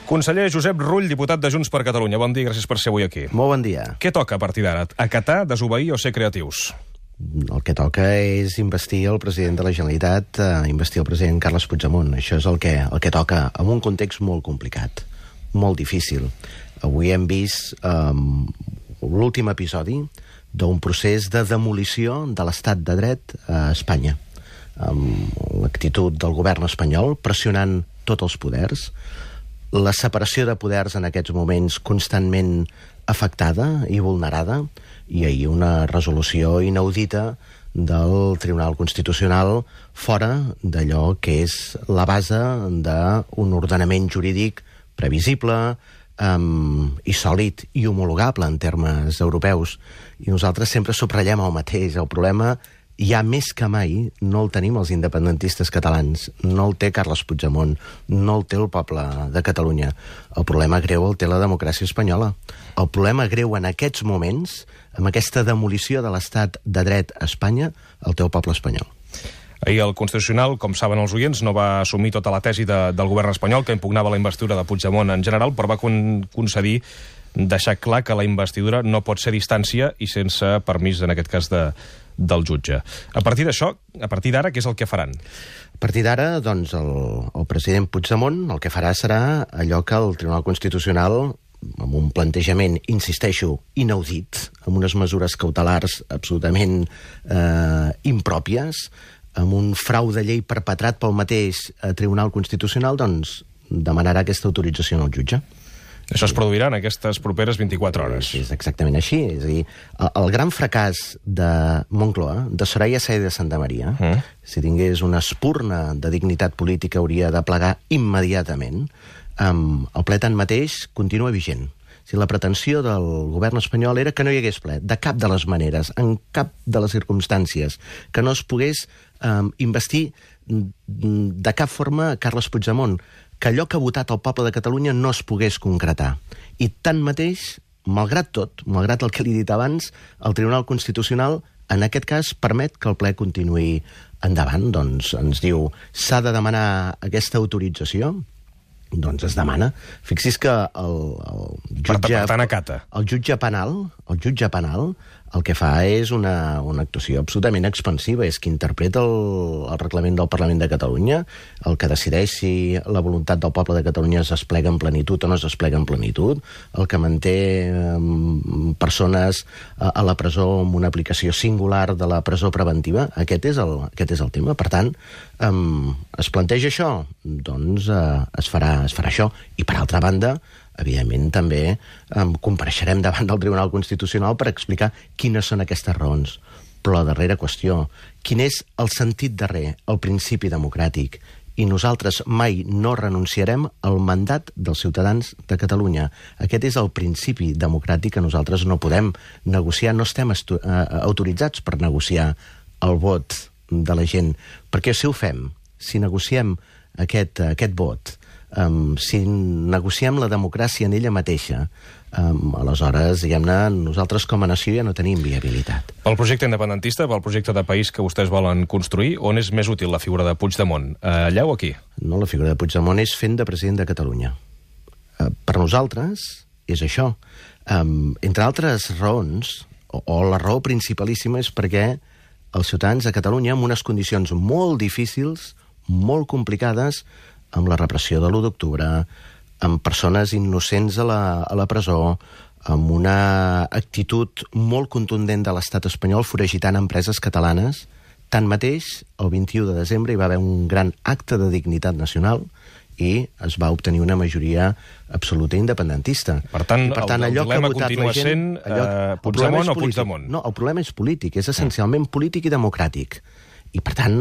Conseller Josep Rull, diputat de Junts per Catalunya. Bon dia, gràcies per ser avui aquí. Molt bon dia. Què toca a partir d'ara? Acatar, desobeir o ser creatius? El que toca és investir el president de la Generalitat, investir el president Carles Puigdemont. Això és el que toca, en un context molt complicat, molt difícil. Avui hem vist l'últim episodi d'un procés de demolició de l'estat de dret a Espanya, amb l'actitud del govern espanyol pressionant tots els poders, la separació de poders en aquests moments constantment afectada i vulnerada, i ahir una resolució inaudita del Tribunal Constitucional fora d'allò que és la base d'un ordenament jurídic previsible i sòlid i homologable en termes europeus. I nosaltres sempre subratllem el mateix. El problema, ja més que mai, no el tenim els independentistes catalans, no el té Carles Puigdemont, no el té el poble de Catalunya. El problema greu el té la democràcia espanyola. El problema greu en aquests moments, amb aquesta demolició de l'estat de dret a Espanya, el té el poble espanyol. Ahir el Constitucional, com saben els oients, no va assumir tota la tesi del govern espanyol que impugnava la investidura de Puigdemont en general, però va concedir deixar clar que la investidura no pot ser a distància i sense permís, en aquest cas, del jutge. A partir d'això, a partir d'ara, què és el que faran? A partir d'ara, doncs, el president Puigdemont el que farà serà allò que el Tribunal Constitucional, amb un plantejament, insisteixo, inaudit, amb unes mesures cautelars absolutament impròpies, amb un frau de llei perpetrat pel mateix Tribunal Constitucional, doncs demanarà aquesta autorització al jutge. Això es produirà en aquestes properes 24 hores. És exactament així. És a dir, el gran fracàs de Moncloa, de Soraya Sáenz de Santamaría, si tingués una espurna de dignitat política, hauria de plegar immediatament. El ple tanmateix continua vigent. Si la pretensió del govern espanyol era que no hi hagués ple, de cap de les maneres, en cap de les circumstàncies, que no es pogués investir de cap forma Carles Puigdemont, que allò que ha votat el poble de Catalunya no es pogués concretar. I tanmateix, malgrat tot, malgrat el que li he dit abans, el Tribunal Constitucional, en aquest cas, permet que el ple continuï endavant. Doncs ens diu, s'ha de demanar aquesta autorització? Doncs es demana. Fixi's que el jutge... Per tant, acata. El jutge penal el que fa és una actuació absolutament expansiva, és que interpreta el reglament del Parlament de Catalunya, el que decideix si la voluntat del poble de Catalunya es desplega en plenitud o no es desplega en plenitud, el que manté persones a la presó amb una aplicació singular de la presó preventiva. Aquest és el tema. Per tant, es planteja això? Doncs es farà això. I per altra banda, evidentment, també compareixerem davant del Tribunal Constitucional per explicar quines són aquestes raons. Però la darrera qüestió, quin és el sentit darrer, el principi democràtic? I nosaltres mai no renunciarem al mandat dels ciutadans de Catalunya. Aquest és el principi democràtic que nosaltres no podem negociar, no estem autoritzats per negociar el vot de la gent. Perquè si ho fem, si negociem aquest vot, si negociem la democràcia en ella mateixa, aleshores, diguem-ne, nosaltres com a nació ja no tenim viabilitat. Pel projecte independentista, pel projecte de país que vostès volen construir, on és més útil la figura de Puigdemont? Allà o aquí? No, la figura de Puigdemont és fent de president de Catalunya. Per nosaltres és això. Entre altres raons, o la raó principalíssima, és perquè els ciutadans de Catalunya, en unes condicions molt difícils, molt complicades, amb la repressió de l'1 d'octubre, amb persones innocents a la presó, amb una actitud molt contundent de l'estat espanyol foragitant empreses catalanes. Tanmateix, el 21 de desembre hi va haver un gran acte de dignitat nacional i es va obtenir una majoria absoluta independentista. Per tant, el dilema continua sent Puigdemont o Puigdemont? No, el problema és polític, és essencialment polític i democràtic. I, per tant,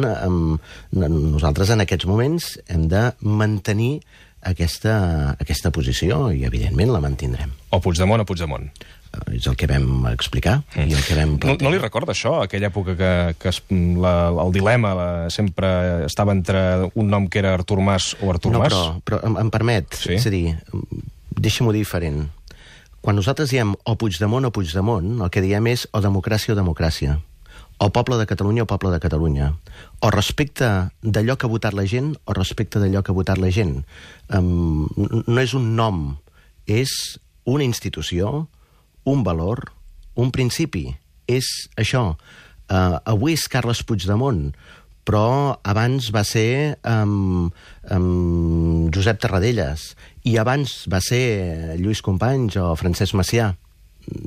nosaltres en aquests moments hem de mantenir aquesta posició i, evidentment, la mantindrem. O Puigdemont o Puigdemont. És el que vam explicar i el que vam plantejar. No li recorda això, aquella època que el dilema sempre estava entre un nom que era Artur Mas o Artur Mas? No, però em permet, sí? És a dir, deixa-m'ho dir diferent. Quan nosaltres diem o Puigdemont, el que diem és o democràcia o democràcia. o poble de Catalunya o poble de Catalunya, o respecte d'allò que ha votat la gent o respecte d'allò que ha votat la gent. No és un nom, és una institució, un valor, un principi. És això. Avui és Carles Puigdemont, però abans va ser Josep Tarradellas, i abans va ser Lluís Companys o Francesc Macià.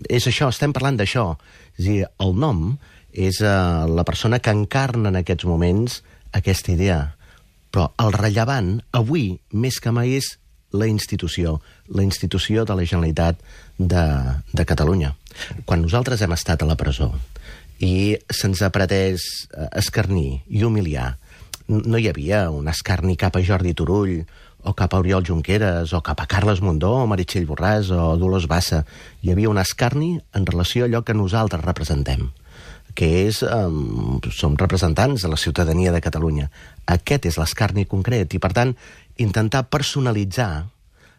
És això, estem parlant d'això. És a dir, el nom és la persona que encarna en aquests moments aquesta idea. Però el rellevant, avui, més que mai, és la institució de la Generalitat de Catalunya. Quan nosaltres hem estat a la presó i se'ns ha pretès escarnir i humiliar, no hi havia un escarni cap a Jordi Turull o cap a Oriol Junqueras o cap a Carles Mundó o Meritxell Borràs o Dolors Bassa. Hi havia un escarni en relació a allò que nosaltres representem, que és, som representants de la ciutadania de Catalunya. Aquest és l'escarni concret i, per tant, intentar personalitzar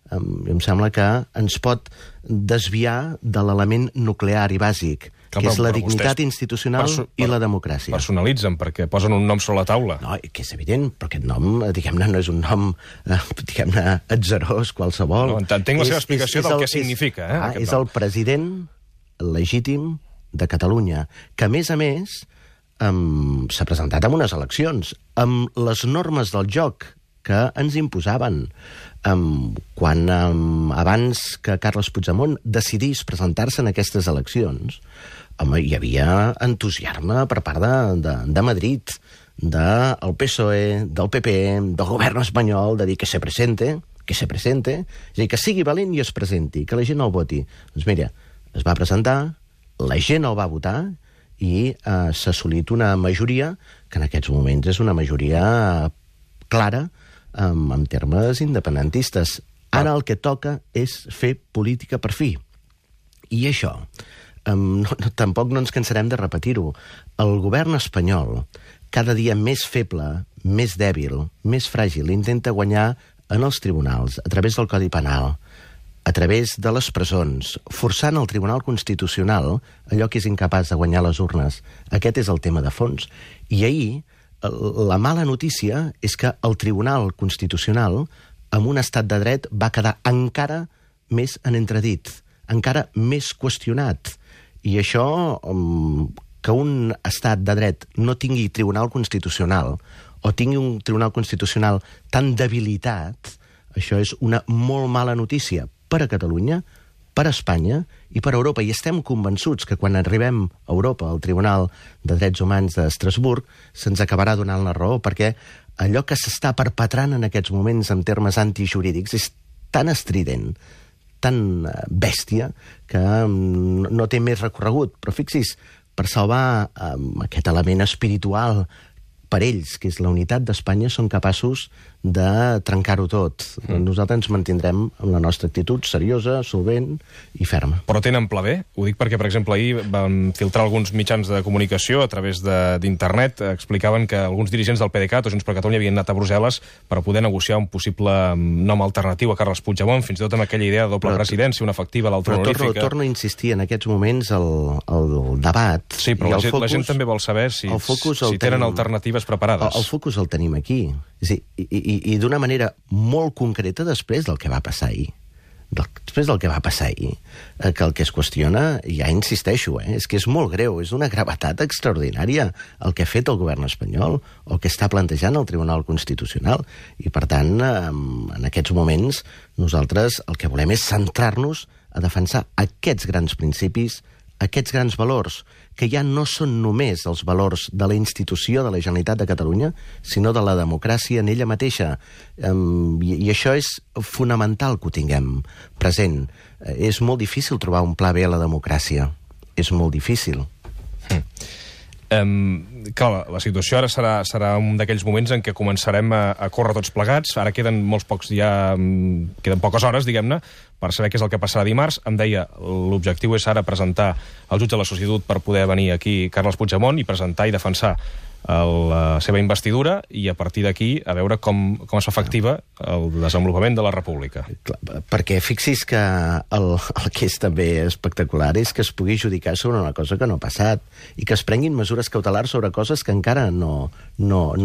em sembla que ens pot desviar de l'element nuclear i bàsic, que és la dignitat institucional i la democràcia. Personalitzen, perquè posen un nom sobre la taula. No, que és evident, però aquest nom, diguem-ne, no és un nom, diguem-ne, atzerós, qualsevol. No, entenc la seva explicació del que significa. És el president legítim de Catalunya, que, a més, s'ha presentat en unes eleccions, amb les normes del joc que ens imposaven. Quan abans que Carles Puigdemont decidís presentar-se en aquestes eleccions, hi havia entusiasme per part de Madrid, del PSOE, del PP, del govern espanyol, de dir que se presente, és a dir, que sigui valent i es presenti, que la gent el voti. Doncs mira, es va presentar, la gent el va votar i s'ha assolit una majoria que en aquests moments és una majoria clara en termes independentistes. Ara el que toca és fer política per fi. I això, tampoc no ens cansarem de repetir-ho. El govern espanyol, cada dia més feble, més dèbil, més fràgil, intenta guanyar en els tribunals, a través del Codi Penal, a través de les presons, forçant el Tribunal Constitucional allò que és incapaç de guanyar les urnes. Aquest és el tema de fons. I ahir, la mala notícia és que el Tribunal Constitucional, amb un estat de dret, va quedar encara més en entredit, encara més qüestionat. I això, que un estat de dret no tingui Tribunal Constitucional o tingui un Tribunal Constitucional tan debilitat, això és una molt mala notícia per a Catalunya, per a Espanya i per a Europa. I estem convençuts que quan arribem a Europa, al Tribunal de Drets Humans d'Estrasburg, se'ns acabarà donant la raó, perquè allò que s'està perpetrant en aquests moments en termes antijurídics és tan estrident, tan bèstia, que no té més recorregut. Però fixis, per salvar aquest element espiritual per ells, que és la unitat d'Espanya, són capaços de trencar-ho tot. Nosaltres ens mantindrem amb la nostra actitud seriosa, solvent i ferma. Però tenen pla B? Ho dic perquè, per exemple, ahir van filtrar alguns mitjans de comunicació a través d'internet, explicaven que alguns dirigents del PDeCAT o Junts per Catalunya havien anat a Brussel·les per poder negociar un possible nom alternatiu a Carles Puigdemont, fins i tot amb aquella idea de doble presidència, una efectiva, l'altra honorífica. Però torno a insistir, en aquests moments el debat... Sí, però la gent també vol saber si tenen alternatives preparades. El focus el tenim aquí. És a dir, i d'una manera molt concreta després del que va passar ahir. Després del que va passar ahir, que el que es qüestiona, ja insisteixo, és que és molt greu, és d'una gravetat extraordinària el que ha fet el govern espanyol, el que està plantejant el Tribunal Constitucional. I, per tant, en aquests moments, nosaltres el que volem és centrar-nos a defensar aquests grans principis, aquests grans valors, que ja no són només els valors de la institució de la Generalitat de Catalunya, sinó de la democràcia en ella mateixa. I això és fonamental que ho tinguem present. És molt difícil trobar un pla B a la democràcia. És molt difícil. Clar, la situació ara serà un d'aquells moments en què començarem a córrer tots plegats. Ara queden queden poques hores, diguem-ne, per saber què és el que passarà dimarts. Em deia, l'objectiu és ara presentar el jutge de la Societat per poder venir aquí Carles Puigdemont i presentar i defensar la seva investidura i a partir d'aquí a veure com es fa efectiva el desenvolupament de la república. Clar, perquè fixis que el que és també espectacular és que es pugui judicar sobre una cosa que no ha passat i que es prenguin mesures cautelars sobre coses que encara no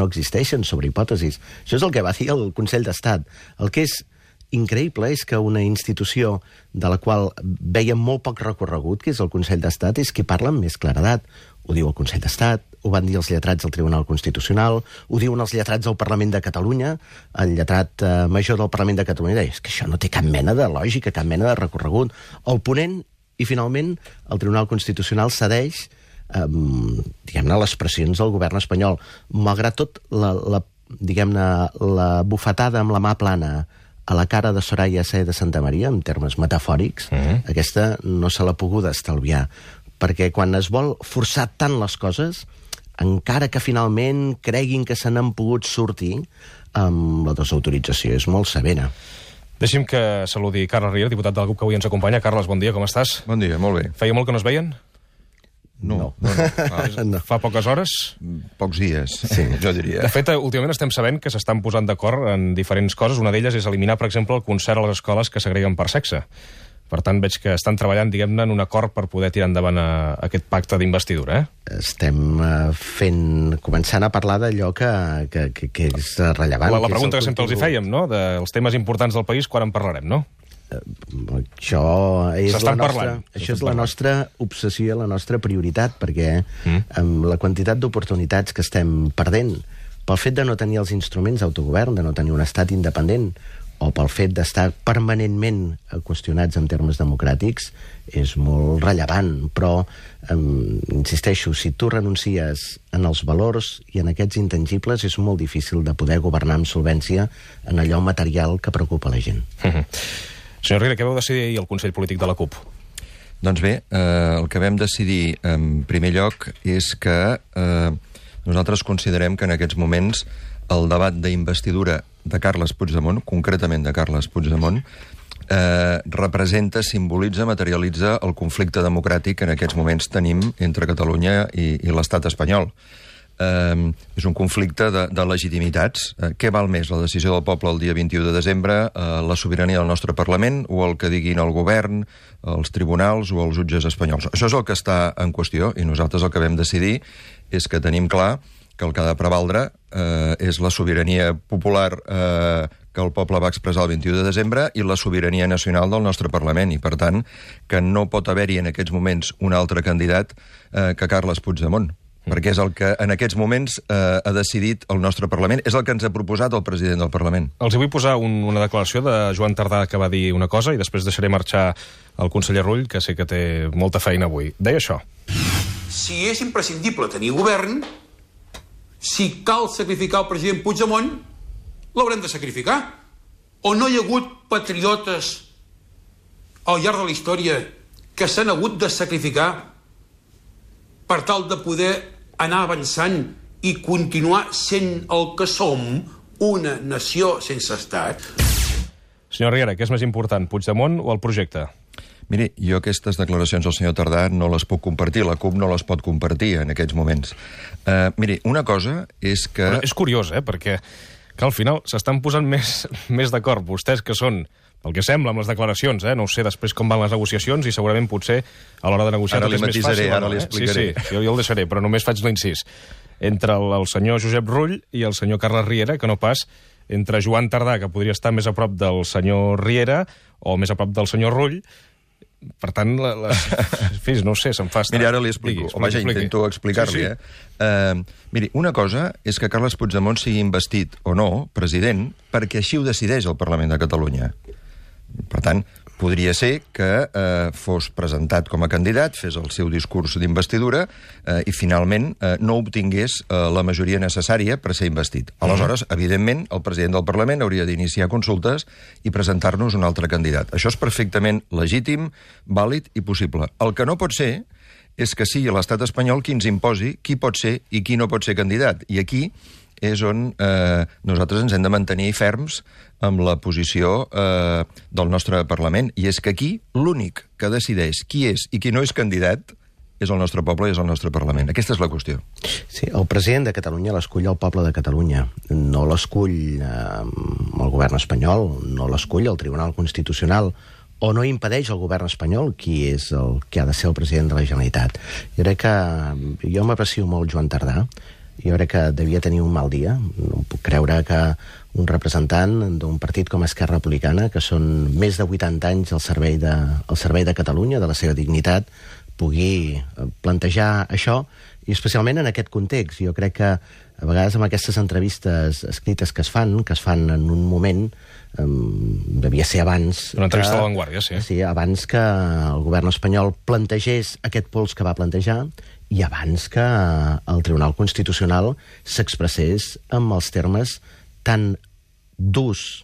existeixen, sobre hipòtesis. Això és el que va dir el Consell d'Estat. El que és increïble és que una institució de la qual veiem molt poc recorregut, que és el Consell d'Estat, és qui parla amb més claredat. Ho diu el Consell d'Estat, ho van dir els lletrats del Tribunal Constitucional, ho diuen els lletrats del Parlament de Catalunya, el lletrat major del Parlament de Catalunya deia que això no té cap mena de lògica, cap mena de recorregut. El ponent, i finalment el Tribunal Constitucional cedeix diguem-ne, les pressions del govern espanyol. Malgrat tot, diguem-ne, la bufetada amb la mà plana a la cara de Soraya Sáenz de Santamaría, en termes metafòrics, aquesta no se l'ha pogut estalviar. Perquè quan es vol forçar tant les coses, encara que finalment creguin que se n'han pogut sortir, la desautorització és molt severa. Deixi'm que saludi Carles Riera, diputat del grup que avui ens acompanya. Carles, bon dia, com estàs? Bon dia, molt bé. Feia molt que no es veien? No. Fa poques hores? Pocs dies, sí, jo diria. De fet, últimament estem sabent que s'estan posant d'acord en diferents coses. Una d'elles és eliminar, per exemple, el concert a les escoles que segreguen per sexe. Per tant, veig que estan treballant, diguem-ne, en un acord per poder tirar endavant aquest pacte d'investidura, Estem començant a parlar d'allò que és rellevant. La pregunta que sempre els hi fèiem, no?, dels temes importants del país, quan en parlarem, no? Això és la nostra obsessió, la nostra prioritat, perquè amb la quantitat d'oportunitats que estem perdent pel fet de no tenir els instruments d'autogovern, de no tenir un estat independent, o pel fet d'estar permanentment qüestionats en termes democràtics, és molt rellevant. Però, insisteixo, si tu renuncies en els valors i en aquests intangibles, és molt difícil de poder governar amb solvència en allò material que preocupa la gent. Senyor Riera, què vau decidir ahir al Consell Polític de la CUP? Doncs bé, el que vam decidir en primer lloc és que nosaltres considerem que en aquests moments el debat d'investidura de Carles Puigdemont, concretament de Carles Puigdemont, representa, simbolitza, materialitza el conflicte democràtic que en aquests moments tenim entre Catalunya i l'estat espanyol. És un conflicte de legitimitats. Què val més, la decisió del poble el dia 21 de desembre, la sobirania del nostre Parlament, o el que diguin el govern, els tribunals o els jutges espanyols? Això és el que està en qüestió, i nosaltres el que vam decidir és que tenim clar que el que ha de prevaldre és la sobirania popular que el poble va expressar el 21 de desembre i la sobirania nacional del nostre Parlament, i per tant que no pot haver-hi en aquests moments un altre candidat que Carles Puigdemont, perquè és el que en aquests moments ha decidit el nostre Parlament, és el que ens ha proposat el president del Parlament. Els vull posar una declaració de Joan Tardà que va dir una cosa i després deixaré marxar el conseller Rull, que sé que té molta feina avui. Deia això. Si és imprescindible tenir govern, si cal sacrificar el president Puigdemont, l'haurem de sacrificar. O no hi ha hagut patriotes al llarg de la història que s'han hagut de sacrificar per tal de poder anar avançant i continuar sent el que som, una nació sense estat? Senyor Riera, què és més important, Puigdemont o el projecte? Miri, jo aquestes declaracions del senyor Tardà no les puc compartir, la CUP no les pot compartir en aquests moments. Miri, una cosa és que... Però és curiós, perquè que al final s'estan posant més d'acord vostès, que són, pel que sembla, amb les declaracions, no sé després com van les negociacions i segurament potser a l'hora de negociar tot és més fàcil. Ara li explicaré. Sí, jo el deixaré, però només faig l'incís. Entre el senyor Josep Rull i el senyor Carles Riera, que no pas entre Joan Tardà, que podria estar més a prop del senyor Riera, o més a prop del senyor Rull. Per tant, no sé, se'm fa estar... Miri, ara li explico. Home, ja intento explicar-li, Miri, una cosa és que Carles Puigdemont sigui investit o no president perquè així ho decideix el Parlament de Catalunya. Per tant, podria ser que fos presentat com a candidat, fes el seu discurs d'investidura i finalment no obtingués la majoria necessària per ser investit. Aleshores, evidentment, el president del Parlament hauria d'iniciar consultes i presentar-nos un altre candidat. Això és perfectament legítim, vàlid i possible. El que no pot ser és que sigui l'estat espanyol qui ens imposi qui pot ser i qui no pot ser candidat. I aquí és on nosaltres ens hem de mantenir ferms amb la posició del nostre Parlament. I és que aquí l'únic que decideix qui és i qui no és candidat és el nostre poble i és el nostre Parlament. Aquesta és la qüestió. Sí, el president de Catalunya l'escull el poble de Catalunya. No l'escull el govern espanyol, no l'escull el Tribunal Constitucional, o no impedeix al govern espanyol qui és el que ha de ser el president de la Generalitat. Jo crec que... Jo m'aprecio molt Joan Tardà. Jo crec que devia tenir un mal dia. No puc creure que un representant d'un partit com Esquerra Republicana, que són més de 80 anys al servei de Catalunya, de la seva dignitat, pugui plantejar això, i especialment en aquest context. Jo crec que a vegades amb aquestes entrevistes escrites que es fan en un moment, devia ser abans... Una entrevista a La Vanguardia, sí. Sí, abans que el govern espanyol plantegés aquest pols que va plantejar i abans que el Tribunal Constitucional s'expressés amb els termes tan durs,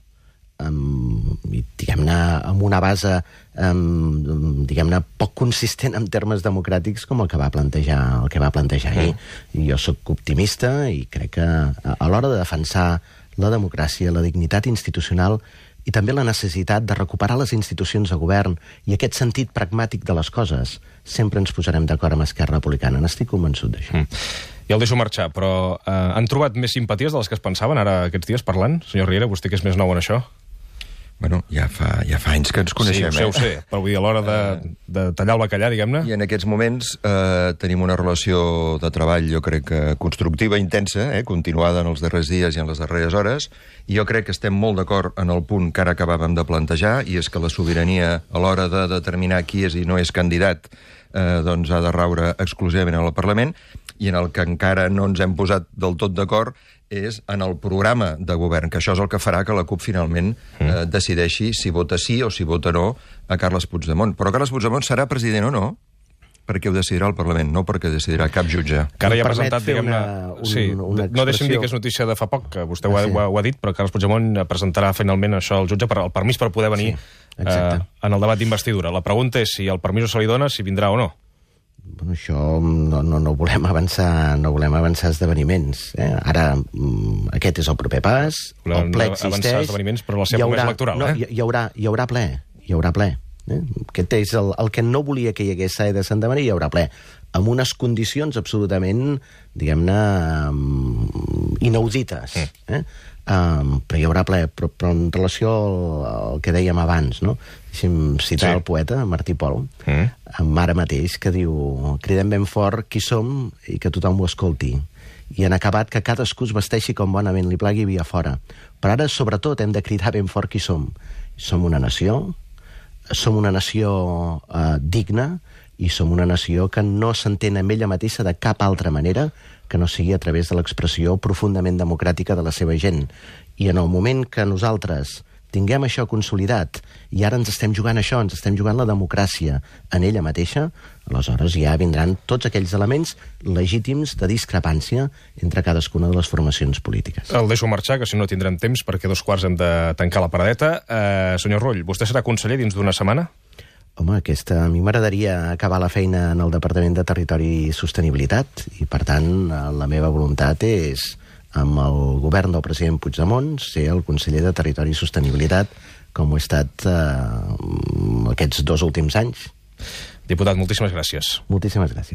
diguem-ne, amb una base diguem-ne poc consistent en termes democràtics com el que va plantejar ahir. Jo sóc optimista i crec que a l'hora de defensar la democràcia, la dignitat institucional i també la necessitat de recuperar les institucions de govern i aquest sentit pragmàtic de les coses, sempre ens posarem d'acord amb Esquerra Republicana. N'estic convençut d'això. Ja el deixo marxar, però han trobat més simpaties de les que es pensaven ara aquests dies parlant? Senyor Riera, vostè que és més nou en això? Bueno, ja fa anys que ens coneixem. Sí, ho sé, però vull dir, a l'hora de tallar el bacallà, diguem-ne... I en aquests moments tenim una relació de treball, jo crec que constructiva, intensa, continuada en els darrers dies i en les darreres hores, i jo crec que estem molt d'acord en el punt que ara acabàvem de plantejar, i és que la sobirania, a l'hora de determinar qui és i no és candidat, doncs ha de raure exclusivament al Parlament, i en el que encara no ens hem posat del tot d'acord és en el programa de govern, que això és el que farà que la CUP finalment decideixi si vota sí o si vota no a Carles Puigdemont. Però Carles Puigdemont serà president o no perquè ho decidirà el Parlament, no perquè decidirà cap jutge. Que ara ja ha presentat, diguem-ne... No deixem dir que és notícia de fa poc, que vostè ho ha dit, però Carles Puigdemont presentarà finalment això al jutge, el permís per poder venir en el debat d'investidura. La pregunta és si el permís se li dona, si vindrà o no. Bueno, això no volem avançar esdeveniments. Ara, aquest és el proper pas, el ple existeix... Avançar esdeveniments, però la seva promesa electoral, Hi haurà ple. Aquest és el que no volia que hi hagués Sae de Santa Maria, hi haurà ple, amb unes condicions absolutament, diguem-ne, inaudites. Però hi haurà ple. Però en relació al que dèiem abans, no? Deixi'm citar el poeta Martí Pol, ara mateix, que diu: cridem ben fort qui som i que tothom ho escolti. I en acabat que cadascú es vesteixi com bonament li plagui via fora. Però ara, sobretot, hem de cridar ben fort qui som. Som una nació digna, i som una nació que no s'entén amb ella mateixa de cap altra manera que no sigui a través de l'expressió profundament democràtica de la seva gent. I en el moment que nosaltres tinguem això consolidat, i ara ens estem jugant això, ens estem jugant la democràcia en ella mateixa, aleshores ja vindran tots aquells elements legítims de discrepància entre cadascuna de les formacions polítiques. El deixo marxar, que si no tindrem temps, perquè 2:15 hem de tancar la paradeta. Senyor Rull, vostè serà conseller dins d'una setmana? Home, a mi m'agradaria acabar la feina en el Departament de Territori i Sostenibilitat, i per tant la meva voluntat és, amb el govern del president Puigdemont, ser el conseller de Territori i Sostenibilitat, com ho he estat aquests 2 últims anys. Diputat, moltíssimes gràcies. Moltíssimes gràcies.